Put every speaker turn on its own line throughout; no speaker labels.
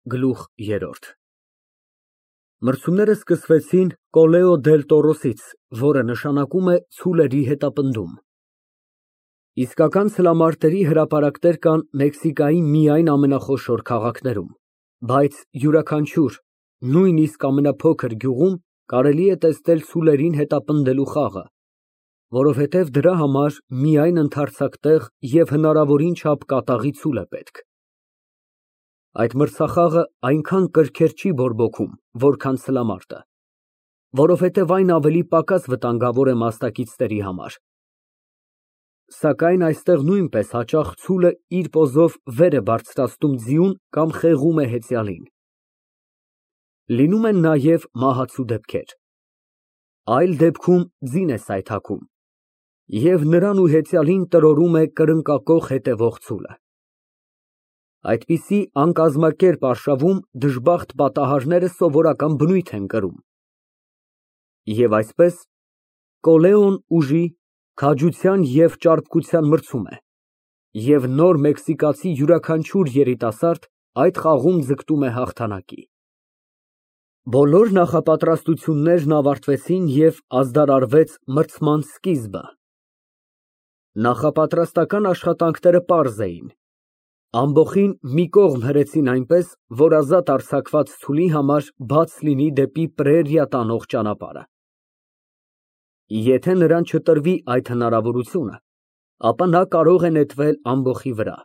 Գլուխ ԵՐՐՈՐԴ Մրցումները սկսվեցին Կոլեո դել Տորոսից, որը նշանակում է ցուլերի հետապնդում։ Իսկական սլամարտերի հրապարակներ կան Մեքսիկայի միայն ամենախոշոր քաղաքներում, բայց յուրաքանչյուր, նույնիսկ ամենափոքր գյուղում կարելի է տեսնել ցուլերին հետապնդելու խաղը, որովհետև դրա համար միայն ընդարձակ տեղ և հնարավորին չափ կատաղի ցուլ է պետք։ Այդ մրցախաղը այնքան կրքեր չի բորբոքում, որքան սլամարտը, որովհետև այն ավելի պակաս վտանգավոր է մասնակիցների համար։ Սակայն այստեղ նույնպես հաճախ ցուլը իր պոզով վեր է բարձրացնում ձիուն կամ խեղում է հեծյալին։ Լինում են նաև մահացու դեպքեր։ Այլ դեպքում ձին է սայթաքում, և նրան ու հեծյալին տրորում է կրկնակոխ հետևող ցուլը։ Այդպիսի անկազմակերպ արշավում դժբախտ պատահարները սովորական բնույթ են կրում։ Եվ այսպես, Կոլեոն ուժի, քաջության և ճարպկության մրցում է, և նոր մեքսիկացի յուրաքանչյուր երիտասարդ այդ խաղում ձգտում է հաղթանակի։ Բոլոր նախապատրաստություններն ավարտվեցին և ազդարարվեց մրցման սկիզբը։ Նախապատրաստական աշխատանքները պարզ էին։ Ամբոխին մի կողմ հրեցին այնպես, որ ազատ արձակված ցուլի համար բաց լինի դեպի պրերիա տանող ճանապարհը։ Եթե նրան չտրվի այդ հնարավորությունը, ապա նա կարող է նետվել ամբոխի վրա,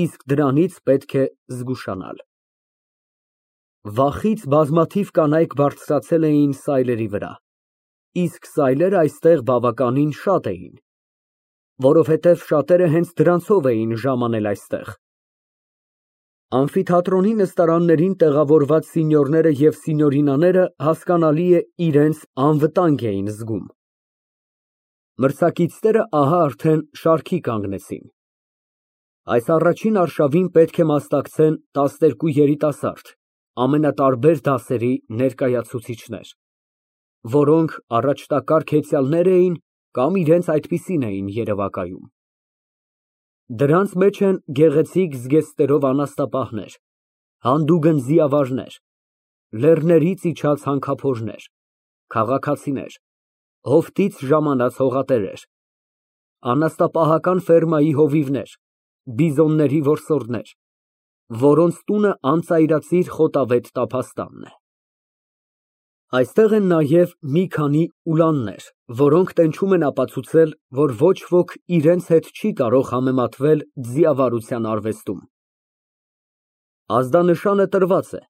իսկ դրանից պետք է զգուշանալ։ Վախից բազմաթիվ կանայք բարձրացել էին սայլերի վրա, իսկ սայլերն այստեղ բավականին շատ էին, որովհետև շատերը հենց դրանցով էին ժամանել այստեղ։ Ամֆիթատրոնի նստարաններին տեղավորված սինյորները և սինյորինաները հասկանալի է իրենց անվտանգ էին զգում։ Մրցակիցները ահա արդեն շարքի կանգնեցին։ Այս առաջին արշավին պետք է մասնակցեն 12 երիտասարդ, ամենատարբեր դասերի ներկայացուցիչներ, որոնք առաջնակարգ հեծյալներ էին կամ իրենց այդպիսին էին երևակայում։ Դրանց մեջ են գեղեցիկ զգեստներով անաստապահներ, հանդուգն ձիավարներ, լեռներից իջած հանքափորներ, քաղաքացիներ, հովտից ժամանած հողատերեր, անաստապահական ֆերմայի հովիվներ, բիզոնների որսորդներ, որոնց տունը անծայրածիր խոտավետ տափաստանն է։ Այստեղ են նաև մի քանի ուլաններ, որոնք տենչում են ապացուցել, որ ոչ ոք իրենց հետ չի կարող համեմատվել ձիավարության արվեստում։ Ազդանշանը տրված է,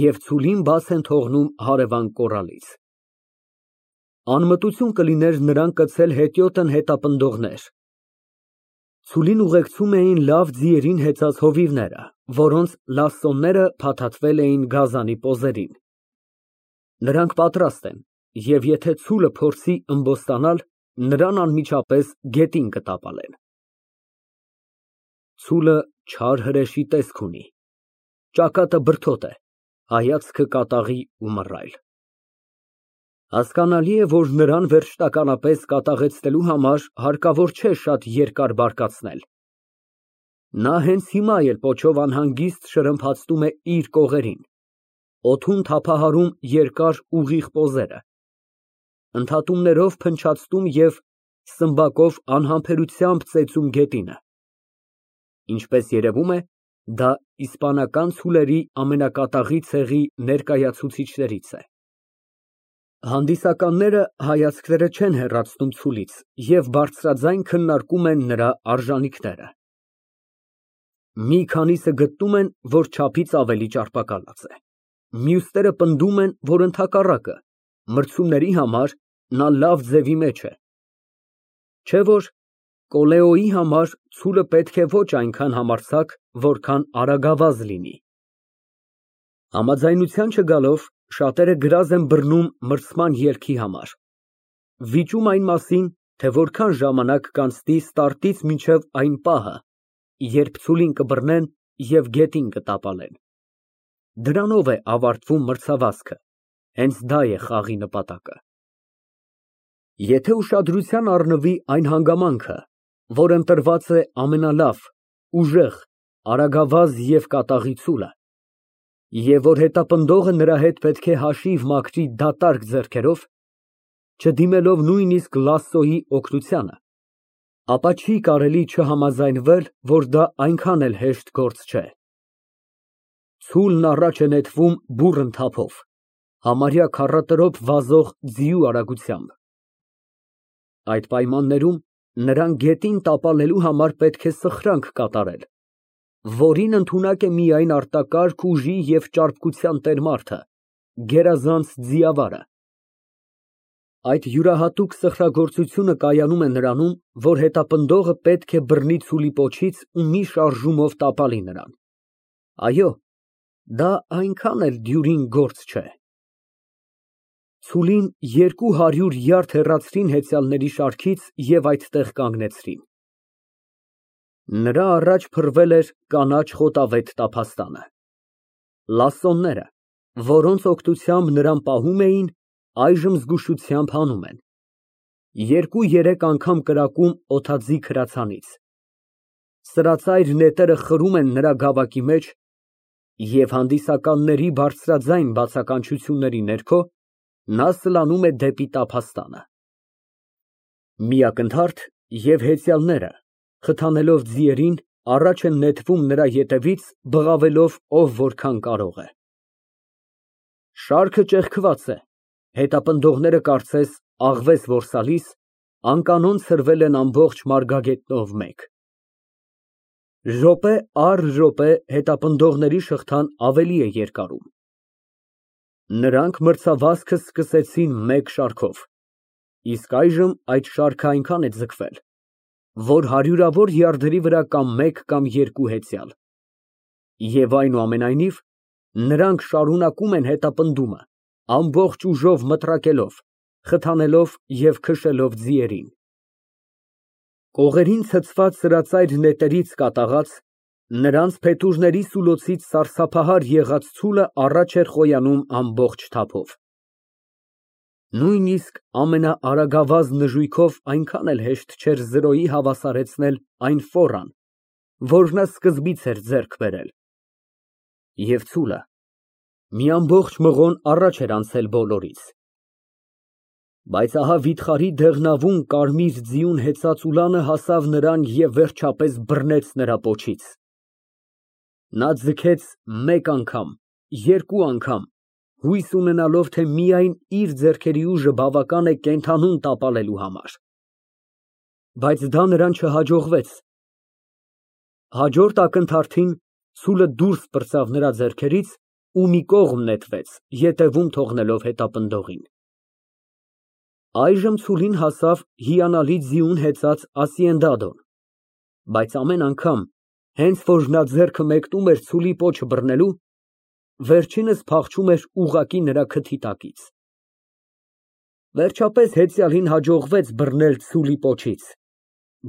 և ցուլին բաց են թողնում հարևան կոռալից։ Անմտություն կլիներ նրան կցել հետիոտն հետապնդողներ։ Ցուլին ուղեկցում էին լավ ձիերին հեծած հովիվները, որոնց լասսոները փաթաթվել էին գազանի պոզերին։ Նրանք պատրաստ են, և եթե ցուլը փորձի ըմբոստանալ, նրան անմիջապես գետին կտապալեն։ Ցուլը չար հրեշի տեսք ունի, ճակատը բրդոտ է, հայացքը կատաղի ու մռայլ։ Հասկանալի է, որ նրան վերջնականապես կատաղեցնելու համար հարկավոր չէ շատ երկար բարկացնել։ Նա հենց հիմա էլ պոչով անհանգիստ շրմփացնում է իր կողերին, օդում թափահարում երկար ուղիղ պոզերը, ընդհատումներով փնչացնում և սմբակով անհամբերությամբ ծեծում գետինը։ Ինչպես երևում է, դա իսպանական ցուլերի ամենակատաղի ցեղի ներկայացուցիչներից է։ Հանդիսականները հայացքները չեն հեռացնում ցուլից և բարձրաձայն քննարկում են նրա արժանիքները։ Մի քանիսը գտնում են, որ չափից ավելի ճարպակալած է, մյուսները պնդում են, որ ընդհակառակը, մրցումների համար նա լավ ձևի մեջ է, չէ՞ որ Կոլեոյի համար ցուլը պետք է ոչ այնքան համարձակ, որքան արագավազ լինի։ Համաձայնության չգալով, շատերը գրազ են բռնում մրցման ելքի համար, վիճում այն մասին, թե որքան ժամանակ կանցնի ստարտից մինչև այն պահը, երբ ցուլին կբռնեն և գետին կտապալեն։ Դրանով է ավարտվում մրցավազքը, հենց դա է խաղի նպատակը։ Եթե ուշադրության առնվի այն հանգամանքը, որ ընտրված է ամենալավ, ուժեղ, արագավազ և կատաղի ցուլը, Եվ որ հետապնդողը նրա հետ պետք է հաշիվ մաքրի դատարկ ձեռքերով, չդիմելով նույնիսկ լասսոյի օգնությանը, ապա չի կարելի չհամաձայնվել, որ դա այնքան էլ հեշտ գործ չէ։ Ցուլն առաջ է նետվում բուռն թափով, համարյա քառատրոփ վազող ձիու արագությամբ։ Այդ պայմաններում նրան գետին տապալելու համար պետք է սխրանք կատարել, որին ընդունակ է միայն արտակարգ ուժի և ճարպկության տեր-մարդը, գերազանց ձիավարը։ Այդ յուրահատուկ սխրագործությունը կայանում է նրանում, որ հետապնդողը պետք է բռնի ցուլի պոչից ու մի շարժումով տապալի նրան։ Այո, դա այնքան էլ դյուրին գործ չէ։ Ցուլին 200 յարդ հեռացրին հեծյալների շարքից և այդտեղ կանգնեցրին։ Նրա առաջ փռվել էր կանաչ խոտավետ տափաստանը։ Լասսոնները, որոնց օգնությամբ նրան պահում էին, այժմ զգուշությամբ հանում են։ 2-3 անգամ կրակում օդաձիգ հրացանից։ Սրածայր նետերը խրում են նրա գավակի մեջ, և հանդիսականների բարձրաձայն բացականչությունների ներքո նա սլանում է դեպի տափաստանը։ Մի ակնթարթ, և հեծյալները, խթանելով ձիերին, առաջ են նետվում նրա ետևից, բղավելով ով որքան կարող է։ Շարքը ճեղքված է, հետապնդողները կարծես աղվես որսալիս, անկանոն ցրվել են ամբողջ մարգագետնով մեկ։ Րոպե առ րոպե հետապնդողների շղթան ավելի է երկարում։ Նրանք մրցավազքը սկսեցին մեկ շարքով, իսկ այժմ այդ շարքը այնքան է ձգվել, որ հարյուրավոր յարդերի վրա կա մեկ կամ երկու հեծյալ։ Եվ այնուամենայնիվ, նրանք շարունակում են հետապնդումը, ամբողջ ուժով մտրակելով, խթանելով և քշելով ձիերին։ Կողերին ցցված սրածայր նետերից կատաղած, նրանց փետուրների սուլոցից սարսափահար եղած ցուլը առաջ էր խոյանում ամբողջ թափով։ Նույնիսկ ամենաարագավազ նժույգով այնքան էլ հեշտ չէր զրոյի հավասարեցնել այն ֆորան, որ նա սկզբից էր ձեռք բերել։ Եվ ցուլը մի ամբողջ մղոն առաջ էր անցել բոլորից։ Բայց ահա վիթխարի դեղնավուն կարմիր ձիուն հեծած ուլանը հասավ նրան և վերջապես բռնեց նրա պոչից։ Նա ձգեց մեկ անգամ, երկու անգամ, հույս ունենալով, թե միայն իր ձեռքերի ուժը բավական է կենդանուն տապալելու համար։ Բայց դա նրան չհաջողվեց։ Հաջորդ ակնթարթին ցուլը դուրս պրծավ նրա ձեռքերից ու մի կողմ նետվեց, ետևում թողնելով հետապնդողին։ Այժմ ցուլին հասավ հիանալի ձիուն հեծած Ասիենդադոն, բայց ամեն անգամ, հենց որ նա ձեռքը մեկնում էր ցուլի պոչը բռնելու, վերջինս փախչում էր ուղղակի նրա քթի տակից։ Վերջապես հեծյալին հաջողվեց բռնել ցուլի պոչից,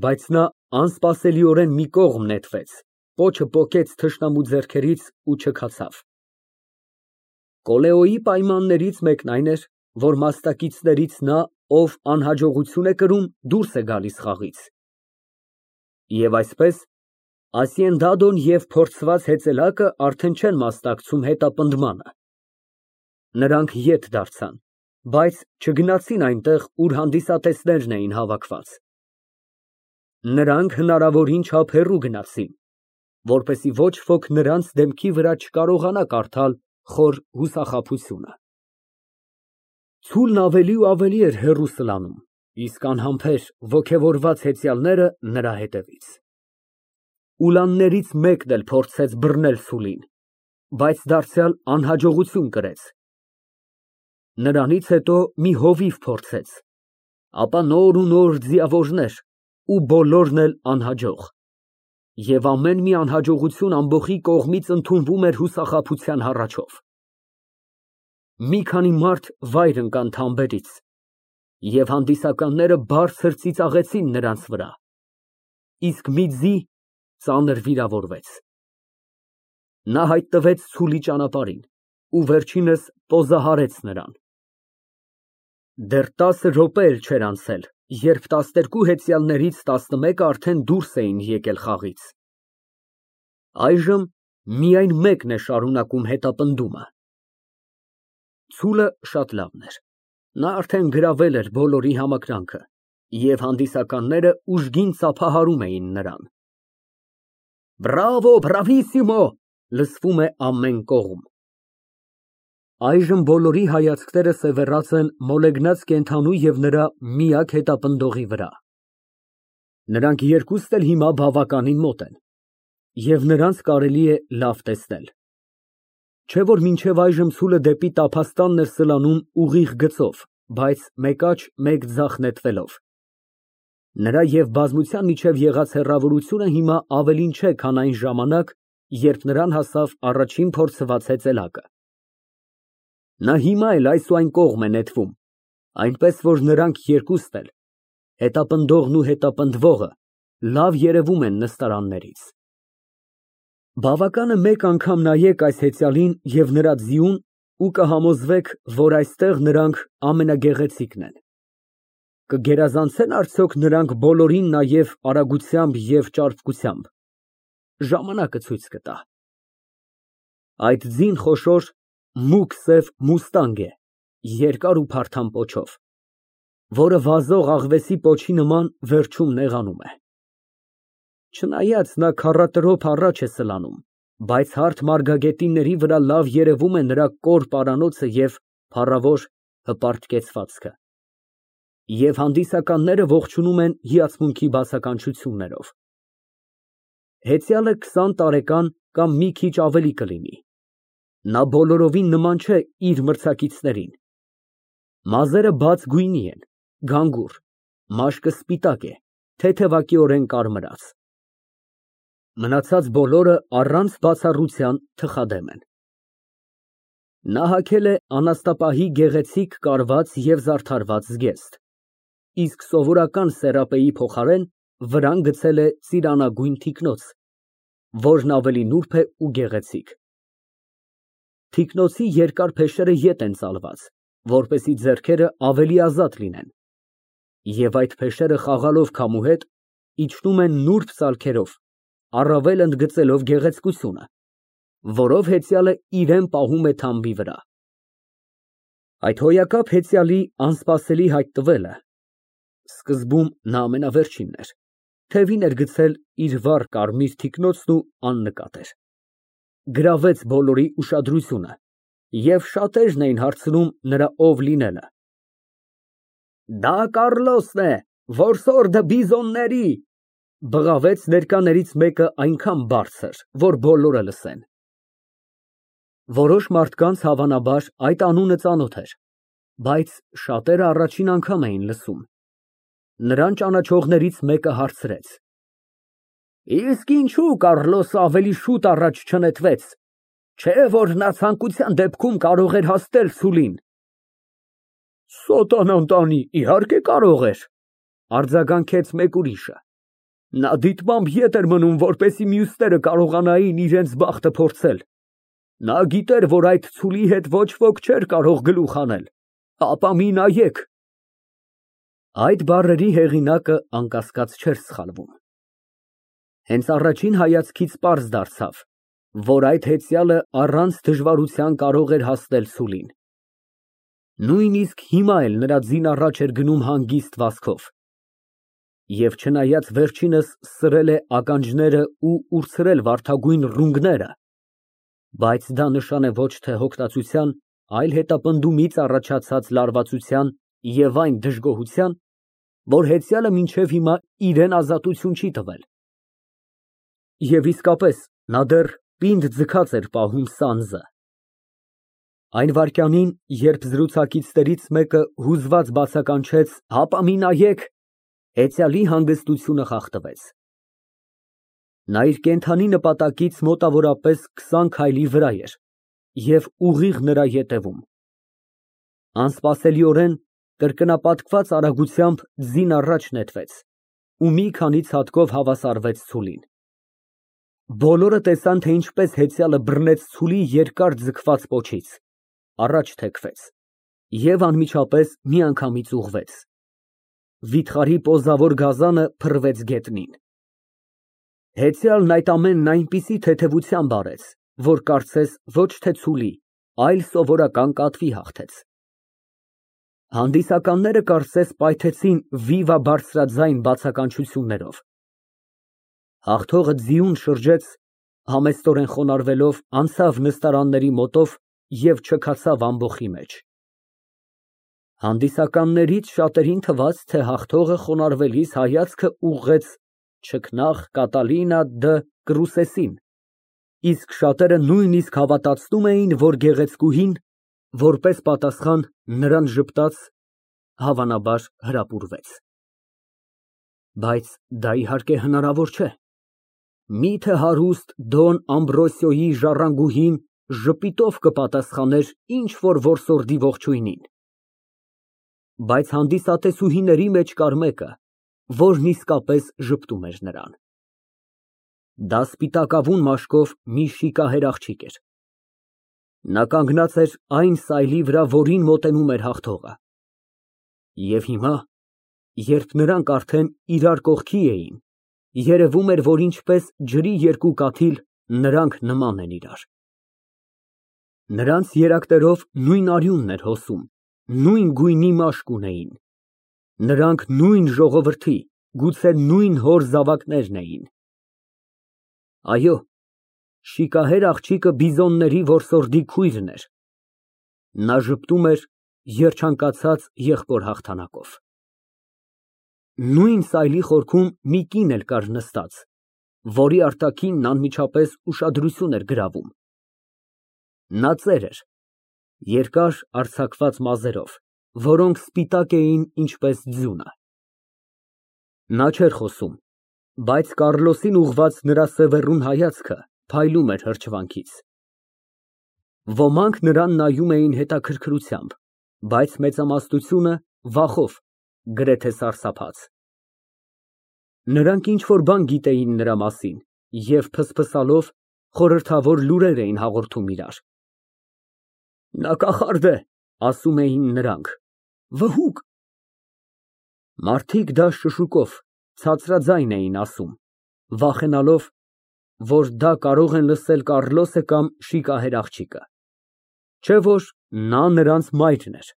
բայց նա անսպասելիորեն մի կողմ նետվեց, պոչը պոկեց թշնամու ձեռքերից ու չքացավ։ Կոլեոյի պայմաններից մեկն այն էր, որ մասնակիցներից նա, ով անհաջողություն է կրում, դուրս է գալիս խաղից։ Եվ այսպես, Ասիենդադոն և փորձված հեծելակը արդեն չեն մասնակցում հետապնդմանը։ Նրանք ետ դարձան, բայց չգնացին այնտեղ, ուր հանդիսատեսներն էին հավաքված։ Նրանք հնարավորին չափ հեռու գնացին, որպեսզի ոչ ոք նրանց դեմքի վրա չկարողանա կարդալ խոր հուսախաբությունը։ Ցուլն ավելի ու ավելի էր հեռու սլանում, իսկ անհամբեր ոգևորված հեծյալները նրա հետևից։ Ուլաններից մեկն էլ փորձեց բռնել ցուլին, բայց դարձյալ անհաջողություն կրեց։ Նրանից հետո մի հովիվ փորձեց, ապա նոր ու նոր ձիավորներ ու բոլորն էլ անհաջող։ Եվ ամեն մի անհաջողություն ամբոխի կողմից ընդունվում էր հուսախաբության հառաչով։ Մի քանի մարդ վայր ընկան թամբերից, և հանդիսականները բարձր ծիծաղեցին նրանց վրա, իսկ մի ձի ծանր վիրավորվեց։ Նա հայտնվեց ցուլի ճանապարհին ու վերջինս պոզահարեց նրան։ Դեռ 10 րոպե էլ չէր անցել, երբ 12 հեծյալներից 11-ը արդեն դուրս էին եկել խաղից։ Այժմ Միայն մեկն է շարունակում հետապնդումը։ Ցուլը շատ լավն էր։ Նա արդեն գրավել էր բոլորի համակրանքը, և հանդիսականները ուժգին ծափահարում էին նրան։ Բրավո, բրավիսիմո, լսվում է ամեն կողմ։ Այժմ բոլորի հայացքները սևեռած են մոլեգնած կենդանու և նրա միակ հետապնդողի վրա։ Նրանք երկուստ էլ հիմա բավականին մոտ են, և նրանց կարելի է լավ տեսնել։ Չէ որ մինչև այժմ ցուլը դեպի տափաստանն էր սլանում ուղիղ գծով, բայց մեկ աջ, մեկ ձախ նետվելով։ Նրա և բազմության միջև եղած հեռավորությունը հիմա ավելին չէ, քան այն ժամանակ, երբ նրան հասավ առաջին փորձված հեծելակը։ Նա հիմա էլ այս ու այն կողմ է նետվում, այնպես որ նրանք երկուստ էլ, հետապնդողն ու հետապնդվողը, լավ երևում են նստարաններից։ Բավական է մեկ անգամ նայեք այս հեծյալին և նրա ձիուն ու կհամոզվեք, որ այստեղ նրանք ամենագեղեցիկն են։ Կգերազանցե՞ն արդյոք նրանք բոլորին նաև արագությամբ և ճարպկությամբ։ Ժամանակը ցույց կտա։ Այդ ձին խոշոր, մուգ սև մուստանգ է, երկար ու փարթամ պոչով, որը վազող աղվեսի պոչի նման վերջում նեղանում է։ Չնայած նա քառատրոփ առաջ է սլանում, բայց հարթ մարգագետինների վրա լավ երևում է նրա կոր պարանոցը և փառավոր հպարտ կեցվածքը։ Եվ հանդիսականները ողջունում են հիացմունքի բացականչություններով։ Հեծյալը 20 տարեկան կամ մի քիչ ավելի կլինի։ Նա բոլորովին նման չէ իր մրցակիցներին։ Մազերը բաց գույնի են, գանգուր, մաշկը սպիտակ է, թեթևակիորեն կարմրած։ Մնացած բոլորը առանց բացառության թխադեմ են։ Նա հագել է անաստապահի գեղեցիկ կարված և զարդարված զգեստ, իսկ սովորական սերապեի փոխարեն վրան գցել է ծիրանագույն թիկնոց, որն ավելի նուրբ է ու գեղեցիկ։ Թիկնոցի երկար փեշերը ետ են ծալված, որպեսզի ձեռքերը ավելի ազատ լինեն, և այդ փեշերը խաղալով քամու հետ, իջնում են նուրբ ծալքերով, առավել ընդգծելով գեղեցկությունը, որով հեծյալը իրան պահում է թամբի վրա։ Այդ հոյակապ հեծյալի անսպասելի հայտնվելը (սկզբում նա ամենավերջինն էր) թևին էր գցել իր վառ կարմիր թիկնոցն ու աննկատ էր, գրավեց բոլորի ուշադրությունը, և շատերն էին հարցնում նրա ով լինելը։ Դա Կառլոսն է, որսորդը բիզոնների, բղավեց ներկաներից մեկը այնքան բարձր, որ բոլորը լսեն։ Որոշ մարդկանց, հավանաբար, այդ անունը ծանոթ էր, բայց շատերը առաջին անգամ էին լսում։ Նրան ճանաչողներից մեկը հարցրեց. Իսկ ինչու Կառլոսը ավելի շուտ առաջ չնետվեց, չէ՞ որ նա ցանկության դեպքում կարող էր հասնել ցուլին։ Սատանան տանի, իհարկե կարող էր, արձագանքեց մեկ ուրիշը։ Նա դիտմամբ ետ էր մնում, որպեսզի մյուսները կարողանային իրենց բախտը փորձել։ Նա գիտեր, որ այդ ցուլի հետ ոչ ոք չէր կարող գլուխ հանել, ապա մի նայեք։ Այդ բառերի հեղինակը անկասկած չէր սխալվում։ Հենց առաջին հայացքից պարզ դարձավ, որ այդ հեծյալը առանց դժվարության կարող էր հասնել ցուլին։ Նույնիսկ հիմա էլ նրա ձին առաջ էր գնում հանգիստ վազքով։ Եվ չնայած վերջինս սրել է ականջները ու ուրցրել վարդագույն ռունգները, բայց դա նշան է ոչ թե հոգնածության, այլ հետապնդումից առաջացած լարվածության և այն դժգոհության, որ հեծյալը մինչև հիմա իրան ազատություն չի տվել։ Եվ իսկապես, նա դեռ պինդ ձգած էր պահում սանձը։ Այն վայրկյանին, երբ զրուցակիցներից մեկը հուզված բացականչեց. «Հապա մի նայեք», հեծյալի հանգստությունը խախտվեց։ Նա իր կենդանի նպատակից մոտավորապես 20 քայլի վրա էր և ուղիղ նրա ետևում։ Անսպասելիորեն, կրկնապատկված արագությամբ ձին առաջ նետվեց ու մի քանի ցատկով հավասարվեց ցուլին։ Բոլորը տեսան, թե ինչպես հեծյալը բռնեց ցուլի երկար ձգված պոչից, առաջ թեքվեց և անմիջապես միանգամից ուղղվեց։ Վիթխարի պոզավոր գազանը փռվեց գետնին։ Հեծյալն այդ ամենն այնպիսի թեթևությամբ արեց, որ կարծես ոչ թե ցուլի, այլ սովորական կատվի հաղթեց։ Հանդիսականները կարծես պայթեցին վիվա բարձրաձայն բացականչություններով։ Հաղթողը ձիուն շրջեց, համեստորեն խոնարհվելով անցավ նստարանների մոտով և չքացավ ամբոխի մեջ։ Հանդիսականներից շատերին թվաց, թե հաղթողը խոնարհվելիս հայացքը ուղղեց չքնաղ Կատալինա դը Կրուսեսին, իսկ շատերը նույնիսկ հավատացնում էին, որ գեղեցկուհին, որպես պատասխան, նրան ժպտաց, հավանաբար հրապուրվեց։ Բայց դա իհարկե հնարավոր չէ։ Մի՞թե հարուստ Դոն Ամբրոսիոյի ժառանգուհին ժպիտով կպատասխաներ ինչ֊որ որսորդի ողջույնին։ Բայց հանդիսատեսուհիների մեջ կար մեկը, որն իսկապես ժպտում էր նրան։ Դա սպիտակավուն մաշկով մի շիկահեր աղջիկ էր։ Նա կանգնած էր այն սայլի վրա, որին մոտենում էր հաղթողը։ Եվ հիմա, երբ նրանք արդեն իրար կողքի էին, երևում էր, որ ինչպես ջրի երկու կաթիլ, նրանք նման են իրար։ Նրանց երակներով նույն արյունն էր հոսում, նույն գույնի մաշկ ունեին։ Նրանք նույն ժողովրդի, գուցե նույն հոր զավակներն էին։ Այո, շիկահեր աղջիկը բիզոնների որսորդի քույրն էր։ Նա ժպտում էր երջանկացած եղբոր հաղթանակով։ Նույն սայլի խորքում մի կին էլ կար նստած, որի արտաքինն անմիջապես ուշադրություն էր գրավում։ Նա ծեր էր, երկար արձակված մազերով, որոնք սպիտակ էին, ինչպես ձյունը։ Նա չէր խոսում, բայց Կառլոսին ուղղված նրա սևեռուն հայացքը փայլում էր հրճվանքից։ Ոմանք նրան նայում էին հետաքրքրությամբ, բայց մեծամասնությունը վախով, գրեթե սարսափած։ Նրանք ինչ֊որ բան գիտեին նրա մասին և ֆսֆսալով խորհրդավոր լուրեր էին հաղորդում իրար։ Նա կախարդ է, ասում էին նրանք, վհուկ։ Մարդիկ դա շշուկով, ցածրաձայն էին ասում, վախենալով, որ դա կարող են լսել Կառլոսը կամ շիկահեր աղջիկը, չէ որ նա նրանց մայրն էր։